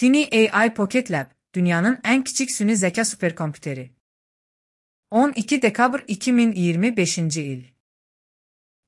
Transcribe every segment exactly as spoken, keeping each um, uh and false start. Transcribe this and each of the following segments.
Tiny A I Pocket Lab, dünyanın en kiçik süni zeka süperkompüteri. on iki dekabr iki min iyirmi beşinci il.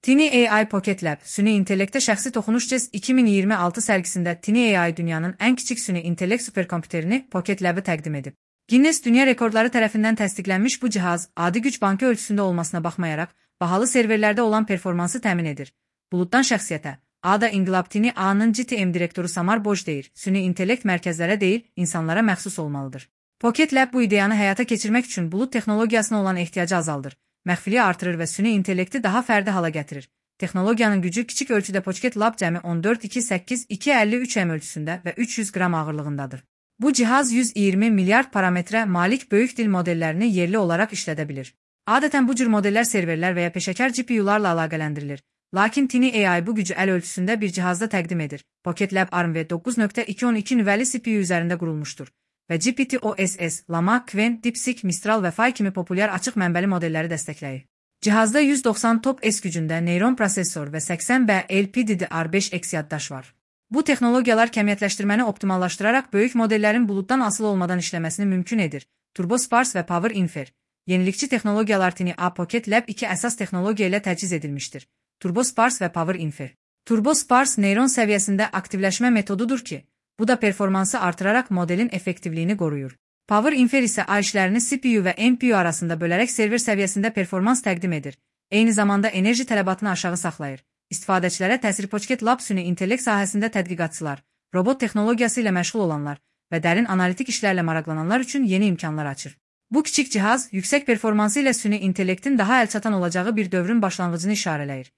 Tiny A I Pocket Lab, süni intellekte şəxsi toxunuş cez iki min iyirmi altı sərgisində Tiny A I dünyanın en kiçik süni intellekt süperkompüterini Pocket Lab'ı təqdim edib. Guinness Dünya Rekorları tərəfindən təsdiqlənmiş bu cihaz, adi güc bankı ölçüsündə olmasına baxmayaraq, bahalı serverlərdə olan performansı təmin edir. Buluddan şəxsiyyətə, A D A İnqilab Tiny A-nın G T M direktoru Samar Boj deyir, süni intellekt mərkəzlərə deyil, insanlara məxsus olmalıdır. Pocket Lab bu ideyanı həyata keçirmək üçün bulud texnologiyasına olan ehtiyacı azaldır, məxfiliyi artırır və süni intellekti daha fərdi hala gətirir. Texnologiyanın gücü kiçik ölçüdə Pocket Lab cəmi on dörd iki səkkiz iki əlli üç M ölçüsündə və üç yüz qram ağırlığındadır. Bu cihaz yüz iyirmi milyard parametrə malik böyük dil modellərini yerli olaraq işlədə bilir. Adətən bu cür modellər serverlər və ya peşəkar G P U'larla əlaqələndirilir. Lakin Tiny A I bu gücü əl ölçüsündə bir cihazda təqdim edir. Pocket Lab ARM V doqquz nöqtə iki on iki nüvəli C P U üzərində qurulmuşdur və G P T O S S, Llama, Qwen, DeepSeek, Mistral və Phi kimi populyar açıq mənbəli modelləri dəstəkləyir. Cihazda yüz doxsan top S gücündə neyron prosesor və səksən B L P D D R beş X yaddaş var. Bu texnologiyalar kəmiyyətləşdirməni optimallaşdıraraq böyük modellərin buluddan asılı olmadan işləməsini mümkün edir. Turbo Sparse və Power Infer. Yenilikçi texnologiyalar Tiny A Pocket Lab iki əsas texnologiya ilə təchiz edilmişdir. Turbo Sparse və Power Infer. Turbo Sparse neyron səviyyəsində aktivləşmə metodudur ki, bu da performansı artıraraq modelin effektivliyini qoruyur. Power Infer isə A işlərini C P U və N P U arasında bölərək server səviyyəsində performans təqdim edir. Eyni zamanda enerji tələbatını aşağı saxlayır. İstifadəçilərə təsiri Pocket Lab süni intellekt sahəsində tədqiqatçılar, robot texnologiyası ilə məşğul olanlar və dərin analitik işlərlə maraqlananlar üçün yeni imkanlar açır. Bu kiçik cihaz, yüksək performansı ilə süni intellektin daha əlçatan olacağı bir dövrün başlanğıcını işarələyir.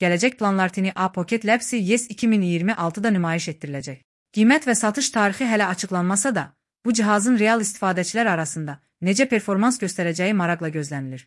Gələcək planlar Tiny A Pocket Labs Y E S iki min iyirmi altıda nümayiş etdiriləcək. Qiymət və satış tarixi hələ açıqlanmasa da, bu cihazın real istifadəçilər arasında necə performans göstərəcəyi maraqla gözlənilir.